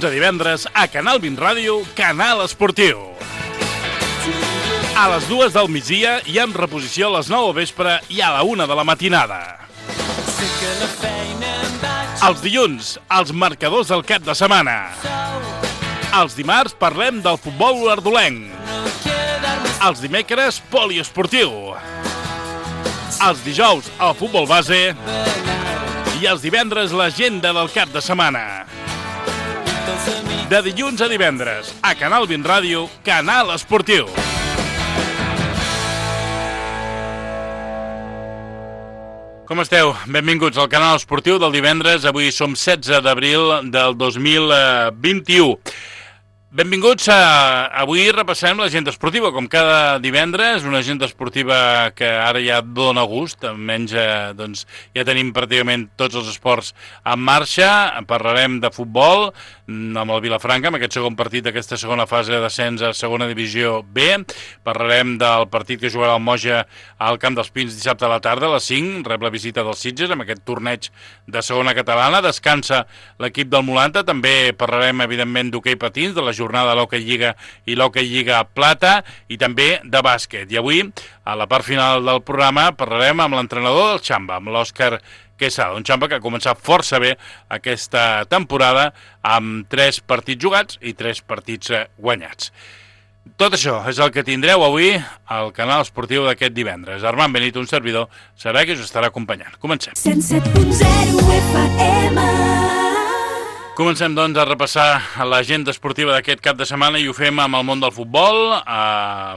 dilluns a divendres a Canal 20 Ràdio, Canal Esportiu. A les 2 del migdia i amb reposició a les 9 del vespre i a la 1 de la matinada. Els dilluns, els marcadors del cap de setmana. Els dimarts parlem del futbol ardolenc. Els dimecres, poliesportiu. Els dijous, el futbol base. I els divendres, l'agenda del cap de setmana. De dilluns a divendres, a Canal 20 Ràdio, Canal Esportiu. Com esteu? Benvinguts al Canal Esportiu del divendres. Avui som 16 d'abril del 2021. Benvinguts avui repassem l'agenda esportiva, com cada divendres, una agenda esportiva que ara ja dona gust, almenys doncs, ja tenim pràcticament tots els esports en marxa. Parlarem de futbol amb el Vilafranca, amb aquest segon partit d'aquesta segona fase de descens a segona divisió B. Parlarem del partit que jugarà el Moja al Camp dels Pins dissabte a la tarda, a les 5, rep la visita dels Sitges amb aquest torneig de segona catalana. Descansa l'equip del Molanta. També parlarem, evidentment, d'hoquei patins, de la jornada de l'Hockey Lliga i l'Hockey Lliga Plata, i també de bàsquet. I avui, a la part final del programa, parlarem amb l'entrenador del Xamba, amb l'Òscar Quesada, un Xamba que ha començat força bé aquesta temporada amb 3 partits jugats i 3 partits guanyats. Tot això és el que tindreu avui al Canal Esportiu d'aquest divendres. Armand Benito, un servidor, serà que us estarà acompanyant. Comencem. 107.0 FM. Comencem, doncs, a repassar l'agenda esportiva d'aquest cap de setmana i ho fem amb el món del futbol.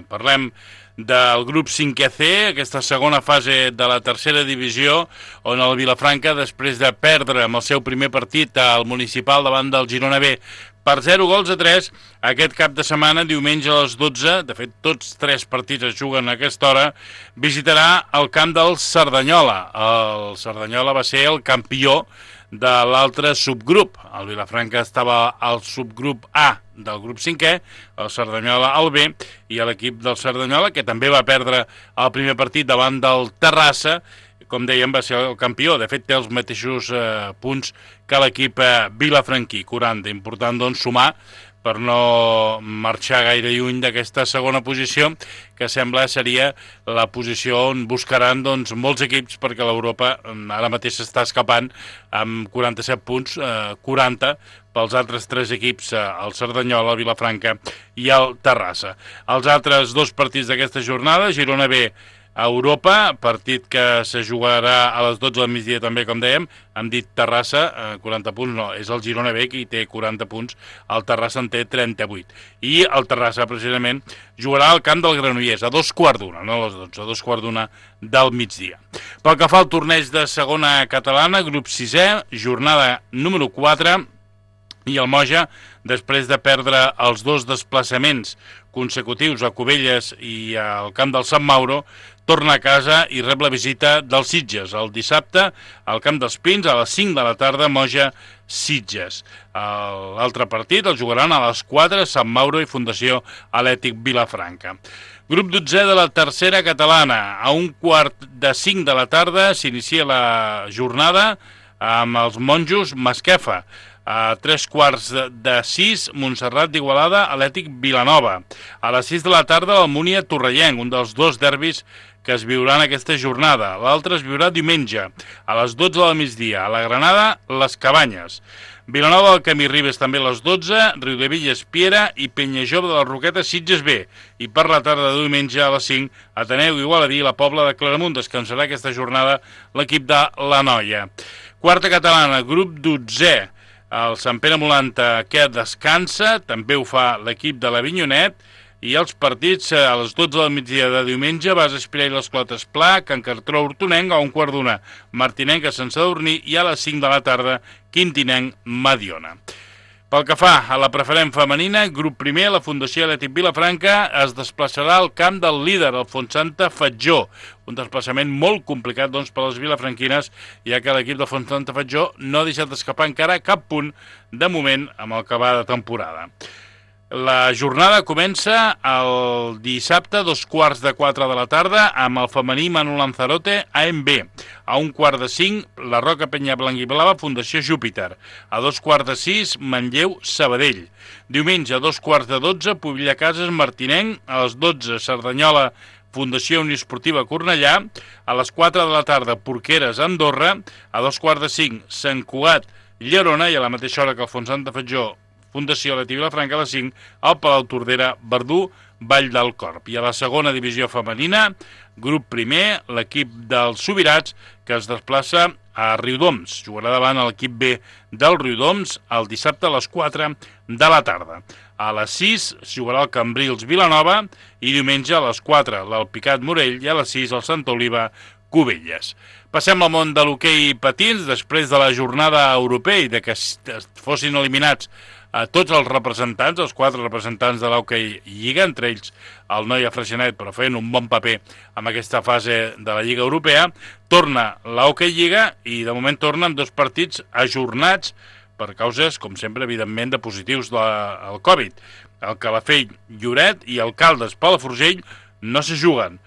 Parlem del grup 5C, aquesta segona fase de la tercera divisió, on el Vilafranca, després de perdre amb el seu primer partit al municipal davant del Girona B per 0-3, aquest cap de setmana, diumenge a les 12, de fet tots 3 partits es juguen a aquesta hora, visitarà el camp del Cerdanyola. El Cerdanyola va ser el campió de l'altre subgrup. El Vilafranca estava al subgrup A del grup 5è, el Cerdanyola al B, i l'equip del Cerdanyola, que també va perdre el primer partit davant del Terrassa, com dèiem, va ser el campió. De fet, té els mateixos punts que l'equip vilafranquí, 40. Important, doncs, sumar per no marxar gaire lluny d'aquesta segona posició, que sembla seria la posició on buscaran, doncs, molts equips, perquè l'Europa ara mateix s'està escapant amb 47 punts, 40 pels altres 3 equips, el Cerdanyola, el Vilafranca i el Terrassa. Els altres 2 partits d'aquesta jornada, Girona B a Europa, partit que se jugarà a les 12 del migdia també, com dèiem. Hem dit Terrassa, 40 punts, no, és el Girona B qui té 40 punts, el Terrassa en té 38. I el Terrassa, precisament, jugarà al camp del Granollers, a 2:15, no a les 12, a 2:15 del migdia. Pel que fa al torneig de segona catalana, grup 6è, jornada número 4, i el Moja, després de perdre els 2 desplaçaments consecutius a Cubelles i al camp del Sant Mauro, torna a casa i rep la visita dels Sitges. El dissabte, al Camp dels Pins, a les 5 de la tarda, Moja-Sitges. L'altre partit el jugaran a les 4, Sant Mauro i Fundació Atlètic Vilafranca. Grup 12è de la tercera catalana. A 4:45 de la tarda s'inicia la jornada amb els monjos Masquefa. A 5:45, Montserrat d'Igualada, Atlètic Vilanova. A les 6 de la tarda, el Múnia Torrellenc, un dels 2 derbis que es viuran aquesta jornada. L'altre es viurà diumenge, a les 12 del migdia. A la Granada, les Cabanyes. Vilanova del Camí Ribes també a les 12, Riudevilles Piera i Penyajove de les Roquetes Sitges B. I per la tarda de diumenge a les 5, Ateneu Igualadí i la Pobla de Claramunt. Descansarà aquesta jornada l'equip de la Noia. Quarta catalana, grup 12è. El Sant Pere Molanta, que descansa, també ho fa l'equip de l'Avinyonet, i els partits a les 12 del migdia de diumenge, Bas Espirà i les Clotes Pla, Can Cartró Hortonenc, a 1:15, Martinenc a Sant Sadurní, i a les 5 de la tarda, Quintinenc Mediona. Pel que fa a la preferent femenina, grup primer, la Fundació Atlètic Vilafranca es desplaçarà al camp del líder, el Fontsanta Fatjó. Un desplaçament molt complicat, doncs, per a les vilafranquines, ja que l'equip del Fontsanta Fatjó no ha deixat d'escapar encara cap punt de moment amb el que va de temporada. La jornada comença el dissabte a 3:15 de la tarda amb el femení Manu Lanzarote AMB. A 4:45 la Roca Penya Blanc-i-Blava Fundació Júpiter. A 5:15 Manlleu Sabadell. Diumenge a 11:45 Pobilla Cases Martinenc. A les 12 Cerdanyola Fundació Unió Esportiva Cornellà. A les 4 de la tarda Porqueres Andorra. A 2:45 Sant Cugat Llerona i a la mateixa hora que el Font Santa Fatjó Fundació Leti Vilafranca, a les 5, al Palau Tordera, Verdú, Vall del Corp. I a la segona divisió femenina, grup primer, l'equip dels Subirats, que es desplaça a Riudoms. Jugarà davant l'equip B del Riudoms el dissabte a les 4 de la tarda. A les 6 jugarà el Cambrils Vilanova i diumenge a les 4 l'Alpicat Morell i a les 6 el Santa Oliva Cubelles. Passem al món de l'hoquei patins. Després de la jornada europea i de que fossin eliminats a tots els representants, els 4 representants de l'hoquei Lliga, entre ells el Noia Freixenet, però fent un bon paper amb aquesta fase de la Lliga Europea, torna l'hoquei Lliga i de moment torna amb 2 partits ajornats per causes, com sempre, evidentment, de positius del Covid. El Calafell Lloret i el Caldes Palafrugell no se juguen.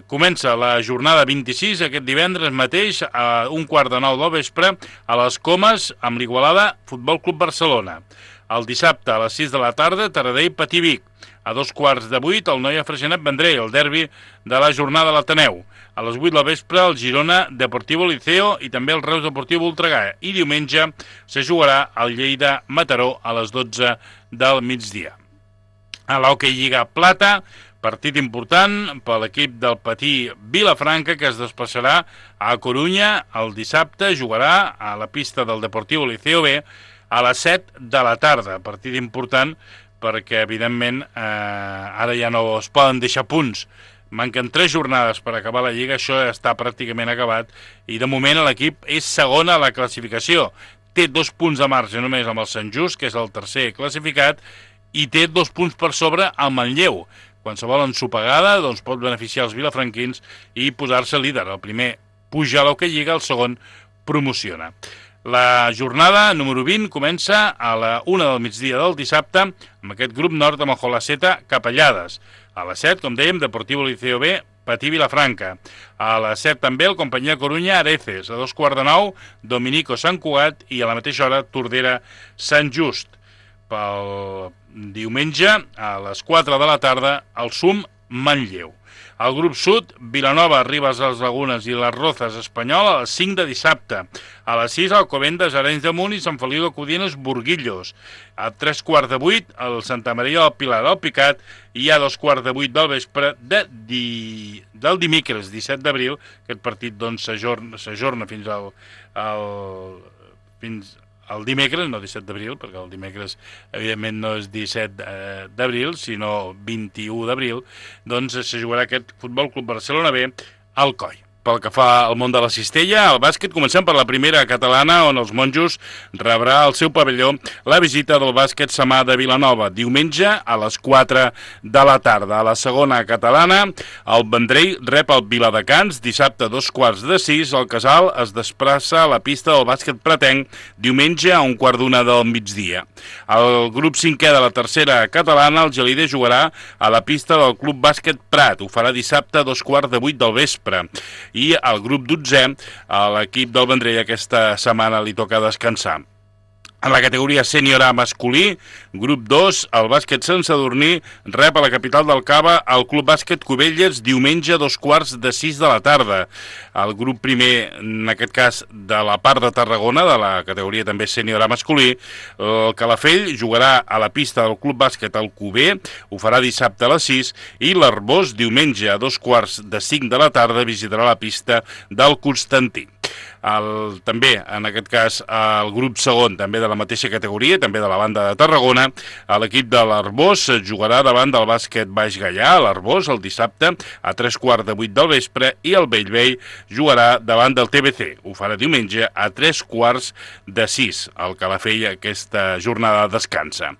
Comença la jornada 26 aquest divendres mateix a 7:15 del vespre a les Comes amb l'Igualada Futbol Club Barcelona. El dissabte a les 6 de la tarda Taradell Patí Vic. A 7:15 el Noia Freixenet Vendrell, el derbi de la jornada de l'Ateneu. A les 8 del vespre el Girona Deportivo Liceo i també el Reus Deportiu Voltregà. I diumenge se jugarà el Lleida Mataró a les 12 del migdia. A l'hoquei Lliga Plata, partit important per l'equip del Patí Vilafranca, que es desplaçarà a Corunya el dissabte. Jugarà a la pista del Deportivo Liceo B a les 7 de la tarda. Partit important perquè, evidentment, ara ja no es poden deixar punts. Manquen 3 jornades per acabar la Lliga, això ja està pràcticament acabat, i de moment l'equip és segon a la classificació. Té 2 punts de marge només amb el Sant Just, que és el tercer classificat, i té 2 punts per sobre al Manlleu. Qualsevol ensopegada doncs, pot beneficiar els vilafranquins i posar-se líder. El primer puja a l'hoquei Lliga, el segon promociona. La jornada número 20 comença a la 1 del migdia del dissabte amb aquest grup nord amb el Jolaceta Capellades. A les 7, com dèiem, Deportivo Liceo B, Patí Vilafranca. A les 7 també el Companyia Corunya Areces. A 2:15 Dominico Sant Cugat i a la mateixa hora Tordera Sant Just. Pel diumenge a les 4 de la tarda el SUM Manlleu. Al grup sud, Vilanova, Ribes de les Lagunes i les Rozas Espanyol a les 5 de dissabte. A les 6, Alcobendas, Arenys de Munt i Sant Feliu de Codines, Burguillos. A 3:15, el Santa Maria del Pilar del Picat i a 2:15 del vespre del dimecres, 17 d'abril. Aquest partit doncs s'ajorna fins el dimecres, no 17 d'abril, perquè el dimecres evidentment no és 17 d'abril, sinó 21 d'abril, doncs se jugarà aquest Futbol Club Barcelona B al Coll. Pel que fa al món de la cistella, al bàsquet comencem per la primera catalana, on els monjos rebrà al seu pavelló la visita del bàsquet Samà de Vilanova, diumenge a les 4 de la tarda. A la segona catalana, el Vendrell rep el Viladecans, dissabte a 5:15, el Casal es desplaça a la pista del bàsquet pretenc, diumenge a 1:15 del migdia. El grup 5è de la tercera catalana, el Gelida jugarà a la pista del Club Bàsquet Prat, ho farà dissabte a 7:15 del vespre. I al grup 12è, a l'equip del Vendrell aquesta setmana li toca descansar. En la categoria sènior A masculí, grup 2, el bàsquet Sant Sadurní rep a la capital del Cava el Club Bàsquet Cubelles diumenge a 5:45 de la tarda. El grup primer, en aquest cas de la part de Tarragona, de la categoria també sènior A masculí, el Calafell jugarà a la pista del Club Bàsquet Alcover, ho farà dissabte a les 6, i l'Arbós diumenge a 4:45 de la tarda visitarà la pista del Constantí. També, en aquest cas, el grup segon, també de la mateixa categoria, també de la banda de Tarragona, l'equip de l'Arbós jugarà davant del bàsquet Baix Gaià, l'Arbós, el dissabte a 7:15 del vespre, i el Bellvei jugarà davant del TBC. Ho farà diumenge a 5:45. El Calafell aquesta jornada descansa.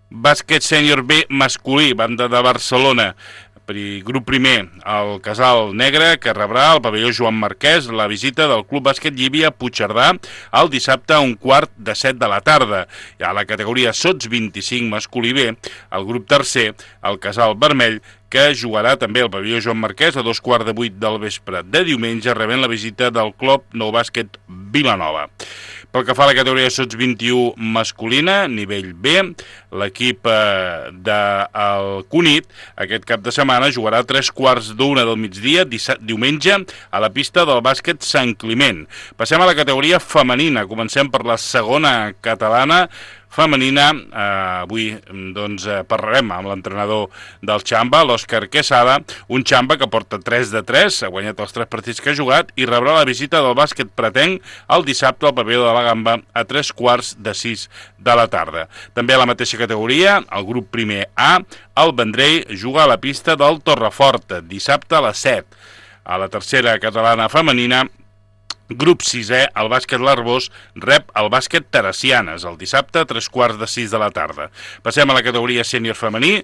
Bàsquet sènior B masculí, banda de Barcelona. grup primer, el Casal Negre, que rebrà al pavelló Joan Marquès la visita del Club Bàsquet Llívia Puigcerdà el dissabte a 1:15 de la tarda. I a la categoria Sots 25 masculí B, el grup tercer, el Casal Vermell, que jugarà també al pavelló Joan Marquès a 2:15 del vespre de diumenge, rebent la visita del Club Nou Bàsquet Vilanova. Pel que fa a la categoria Sots 21 masculina, nivell B, l'equip del Cunit aquest cap de setmana jugarà a 3:15 del migdia, diumenge, a la pista del bàsquet Sant Climent. Passem a la categoria femenina. Comencem per la segona catalana femenina. Avui doncs, parlarem amb l'entrenador del Xamba, l'Òscar Quesada, un Xamba que porta 3 de 3, ha guanyat els 3 partits que ha jugat i rebrà la visita del bàsquet Pretenc el dissabte al pavelló de la Gamba a 5:45 de la tarda. També a la mateixa categoria, el grup primer A, el Vendrell juga a la pista del Torrefort dissabte a les 7. A la tercera catalana femenina, grup 6è, el bàsquet L'Arbós rep el bàsquet Teresianes el dissabte a 5:45 de la tarda. Passem a la categoria sènior femení,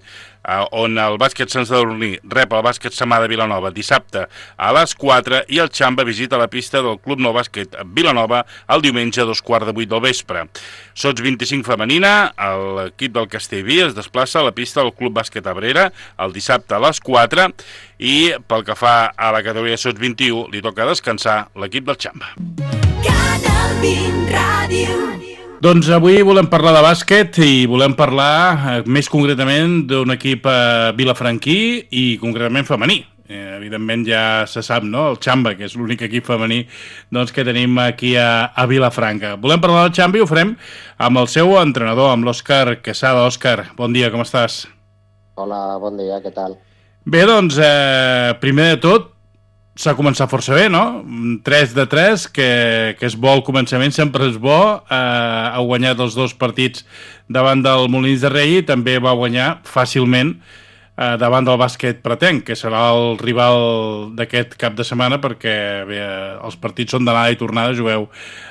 on el bàsquet Sant Sadurní rep el bàsquet Samà de Vilanova dissabte a les 4 i el Xamba visita la pista del Club Nou Bàsquet Vilanova el diumenge a 2:15 del vespre. Sots 25 femenina, l'equip del Castellví es desplaça a la pista del Club Bàsquet Abrera el dissabte a les 4 i pel que fa a la categoria Sots 21 li toca descansar l'equip del Xamba. Canal 20 Ràdio. Doncs avui volem parlar de bàsquet i volem parlar més concretament d'un equip vilafranquí i concretament femení. Evidentment ja se sap, no?, el Xamba, que és l'únic equip femení doncs, que tenim aquí a Vilafranca. Volem parlar del Xamba i ho farem amb el seu entrenador, amb l'Òscar Quesada. Òscar, bon dia, com estàs? Hola, bon dia, què tal? Bé, doncs, primer de tot, s'ha començat força bé, no? 3 de 3, que és bo al començament, sempre és bo. Ha guanyat els 2 partits davant del Molins de Rei i també va guanyar fàcilment davant del bàsquet Pretenc, que serà el rival d'aquest cap de setmana, perquè bé, els partits són d'anada i tornada, jugueu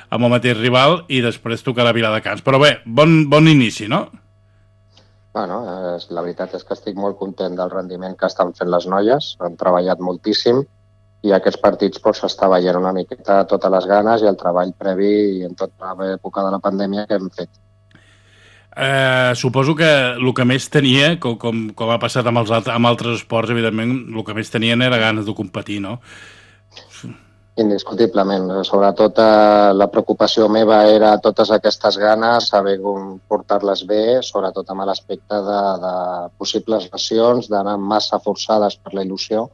amb el mateix rival i després tocarà Viladecans. Però bé, bon inici, no? Bueno, la veritat és que estic molt content del rendiment que estan fent les noies, han treballat moltíssim i aquests partits s'està veient una miqueta totes les ganes i el treball previ en tota l'època de la pandèmia que hem fet. Suposo que el que més tenia, com ha passat amb altres esports, evidentment, el que més tenien era ganes de competir, no? Indiscutiblement. Sobretot la preocupació meva era totes aquestes ganes, saber com portar-les bé, sobretot amb l'aspecte de possibles lesions, d'anar massa forçades per la il·lusió,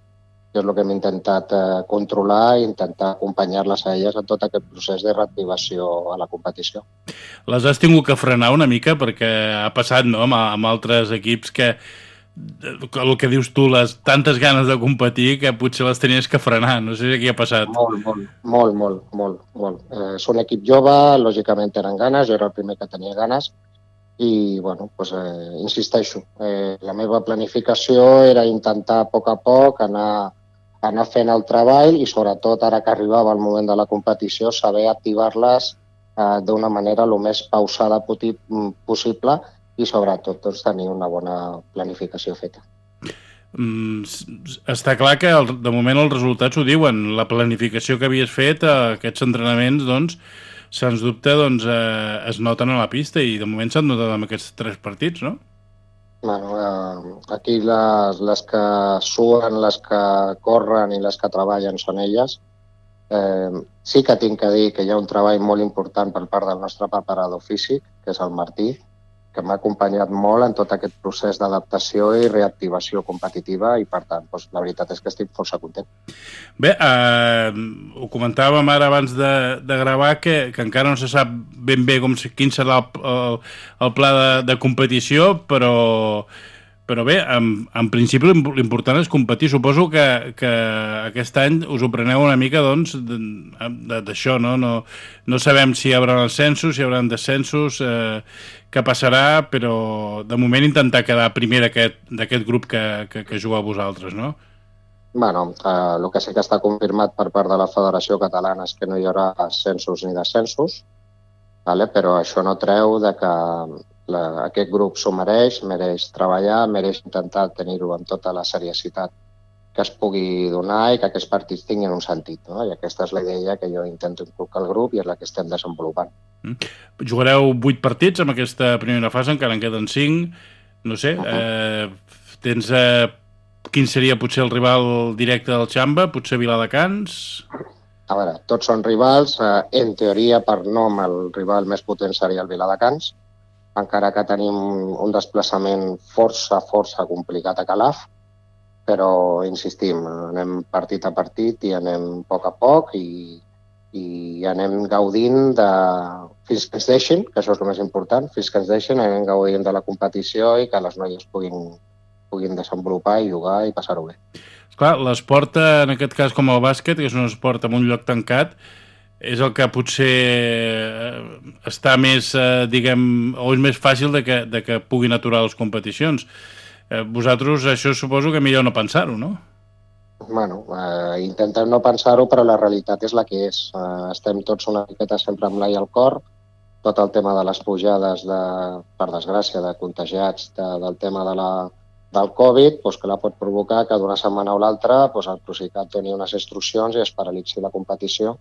que és el que hem intentat controlar i intentar acompanyar-les a elles en tot aquest procés de reactivació a la competició. Les has tingut que frenar una mica perquè ha passat, no?, amb altres equips que el que dius tu, les tantes ganes de competir que potser les tenies que frenar. No sé què ha passat. Molt. És un equip jove, lògicament tenen ganes, jo era el primer que tenia ganes i, bueno, doncs, insisteixo, la meva planificació era intentar a poc anar fent el treball i, sobretot, ara que arribava el moment de la competició, saber activar-les d'una manera el més pausada possible i, sobretot, doncs, tenir una bona planificació feta. Està clar que, de moment, els resultats ho diuen. La planificació que havies fet, aquests entrenaments, doncs, sens dubte, doncs, es noten a la pista i, de moment, s'han notat amb aquests 3 partits, no? Bueno, aquí les que suen, les que corren i les que treballen són elles. Sí que tinc que dir que hi ha un treball molt important per part del nostre preparador físic, que és el Martí, que m'ha acompanyat molt en tot aquest procés d'adaptació i reactivació competitiva i, per tant, doncs, la veritat és que estic força content. Bé, ho comentàvem ara abans de gravar que encara no se sap ben bé quin serà el pla de competició, però bé, en principi l'important és competir. Suposo que aquest any us ho preneu una mica, doncs, d'això, no? No sabem si hi haurà ascensos, si hi haurà descensos, què passarà, però de moment intentar quedar primer d'aquest grup que jugueu vosaltres, no? Bueno, el que sí que està confirmat per part de la Federació Catalana és que no hi haurà ascensos ni descensos, però això no treu que aquest grup s'ho mereix treballar, mereix intentar tenir-ho amb tota la seriositat que es pugui donar i que aquests partits tinguin un sentit, no? I aquesta és la idea que jo intento inculcar al grup i és la que estem desenvolupant. Jugareu 8 partits en aquesta primera fase, encara en queden 5. No sé, tens... quin seria potser el rival directe del Xamba? Potser Viladecans? A veure, tots són rivals. En teoria, per nom, el rival més potent seria el Viladecans, encara que tenim un desplaçament força complicat a Calaf, però, insistim, anem partit a partit i anem a poc i anem gaudint fins que ens deixin, que això és el més important, fins que ens deixin, anem gaudint de la competició i que les noies puguin desenvolupar i jugar i passar-ho bé. Esclar, l'esport, en aquest cas com el bàsquet, que és un esport en un lloc tancat, és el que potser està més, diguem, o és més fàcil de que puguin aturar les competicions. Vosaltres això suposo que millor no pensar-ho, no? Bueno, intentem no pensar-ho, però la realitat és la que és. Estem tots una miqueta sempre amb l'ai al cor. Tot el tema de les pujades, per desgràcia, de contagiats del tema del Covid, doncs que la pot provocar que d'una setmana a l'altra el Procicat doni unes instruccions i es paralitzi la competició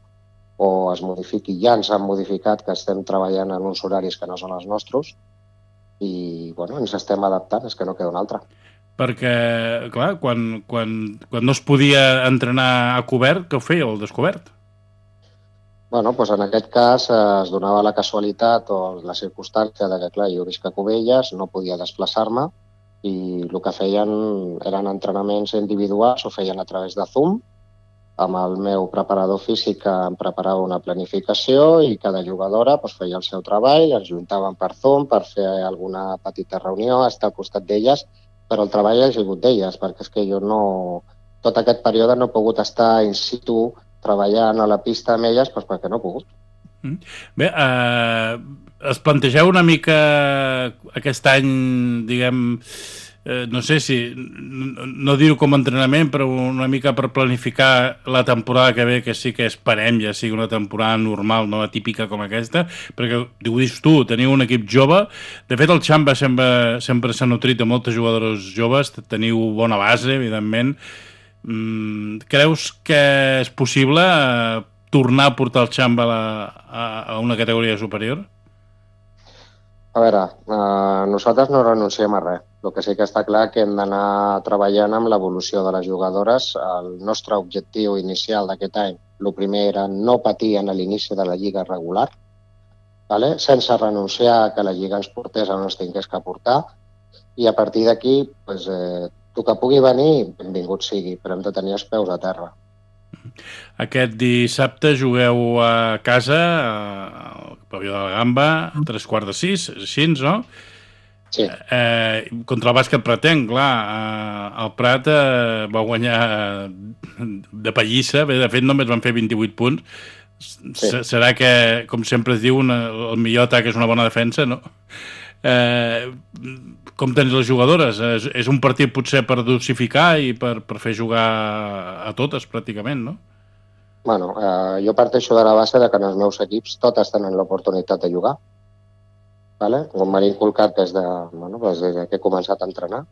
o es modifiqui. Ja ens han modificat, que estem treballant en uns horaris que no són els nostres, i bueno, ens estem adaptant, és que no queda una altra. Perquè, clar, quan no es podia entrenar a cobert, què ho fèieu, al descobert? Bueno, doncs en aquest cas es donava la casualitat o la circumstància de que, clar, jo visc a Cubelles, no podia desplaçar-me i el que feien eren entrenaments individuals, ho feien a través de Zoom. Amb el meu preparador físic em preparava una planificació i cada jugadora feia el seu treball, ens juntàvem per Zoom per fer alguna petita reunió, estar al costat d'elles, però el treball ha sigut d'elles, perquè és que jo tot aquest període no he pogut estar in situ treballant a la pista amb elles perquè no he pogut. Bé, es plantegeu una mica aquest any, diguem, no sé si, no dir-ho com a entrenament, però una mica per planificar la temporada que ve, que sí que esperem ja sigui una temporada normal, no atípica com aquesta, perquè ho dius tu, teniu un equip jove. De fet, el Xamba sempre s'ha nutrit de moltes jugadores joves, teniu bona base, evidentment. Creus que és possible tornar a portar el Xamba a una categoria superior? A veure, nosaltres no renunciem a res. El que sí que està clar que hem d'anar treballant amb l'evolució de les jugadores. El nostre objectiu inicial d'aquest any, el primer era no patir en l'inici de la lliga regular, sense renunciar a que la lliga ens portés on ens tingués que portar, i a partir d'aquí, el que pugui venir, benvingut sigui, però hem de tenir els peus a terra. Aquest dissabte jugueu a casa, al Pavió de la Gamba, a 5:45, així, no? Sí. Contra el bàsquet Pratenc, clar, el Prat va guanyar de pallissa, bé, de fet només van fer 28 punts. Sí. Serà que, com sempre es diu, el millor atac és una bona defensa, no? Com tens les jugadores? És un partit potser per dosificar i per fer jugar a totes, pràcticament, no? Bueno, jo parteixo de la base de que en els meus equips totes tenen l'oportunitat de jugar. Com m'han inculcat des que he començat a entrenar.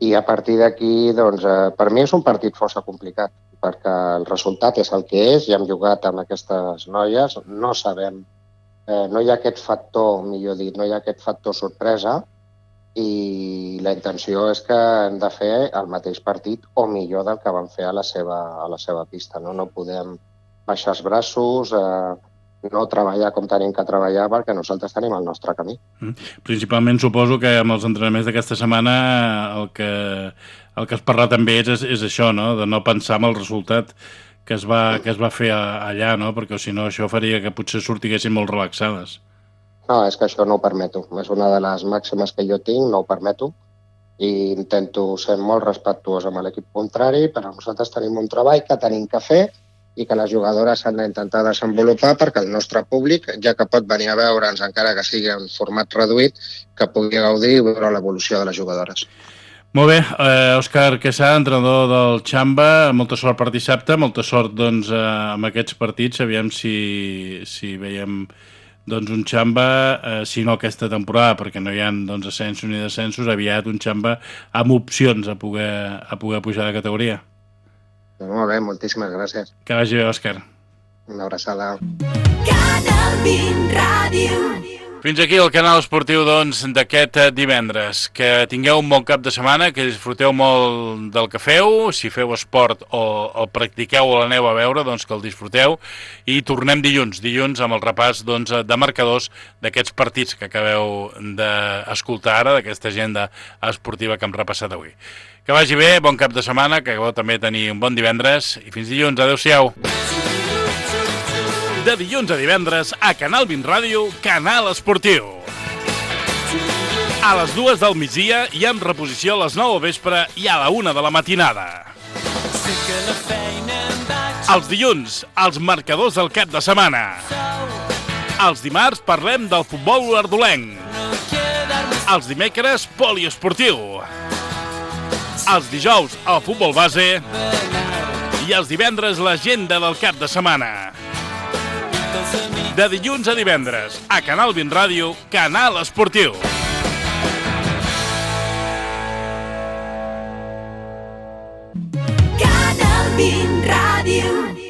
I a partir d'aquí, per mi és un partit força complicat, perquè el resultat és el que és, ja hem jugat amb aquestes noies, no sabem, no hi ha aquest factor, millor dit, no hi ha aquest factor sorpresa, i la intenció és que hem de fer el mateix partit o millor del que vam fer a la seva pista. No podem baixar els braços, no treballar com tenim que treballar, perquè nosaltres tenim el nostre camí. Principalment suposo que amb els entrenaments d'aquesta setmana el que has parlat amb ells és això, no? De no pensar en el resultat que es va fer allà, no? Perquè si no això faria que potser sortiguessin molt relaxades. No, és que això no ho permeto. És una de les màximes que jo tinc, no ho permeto, i intento ser molt respectuós amb l'equip contrari, però nosaltres tenim un treball que tenim que fer i que les jugadores han d'intentar desenvolupar perquè el nostre públic, ja que pot venir a veure'ns, encara que sigui en format reduït, que pugui gaudir i veure l'evolució de les jugadores. Molt bé, Òscar Quesada, entrenador del Xamba, molta sort per dissabte, molta sort amb aquests partits, aviam si veiem doncs un Xamba, si no aquesta temporada, perquè no hi ha doncs, ascensos ni descensos, aviat un Xamba amb opcions a poder pujar de categoria. Molt bé, moltíssimes gràcies. Que vagi bé, Òscar. Una abraçada. Canal 20 Ràdio. Fins aquí el canal esportiu doncs, d'aquest divendres. Que tingueu un bon cap de setmana, que disfruteu molt del que feu, si feu esport o el practiqueu o l'aneu a veure, doncs que el disfruteu, i tornem dilluns amb el repàs doncs, de marcadors d'aquests partits que acabeu d'escoltar ara, d'aquesta agenda esportiva que hem repassat avui. Que vagi bé, bon cap de setmana, que acabeu també tenir un bon divendres, i fins dilluns, adeu-siau. De dilluns a divendres, a Canal 20 Ràdio, Canal Esportiu. A les 2 del migdia i amb reposició a les 9 del vespre i a la 1 de la matinada. Els dilluns, els marcadors del cap de setmana. Els dimarts parlem del futbol ardolenc. Els dimecres, poliesportiu. Els dijous, el futbol base. I els divendres, l'agenda del cap de setmana. De dilluns a divendres, a Canal 20 Ràdio, Canal Esportiu. Canal 20 Ràdio.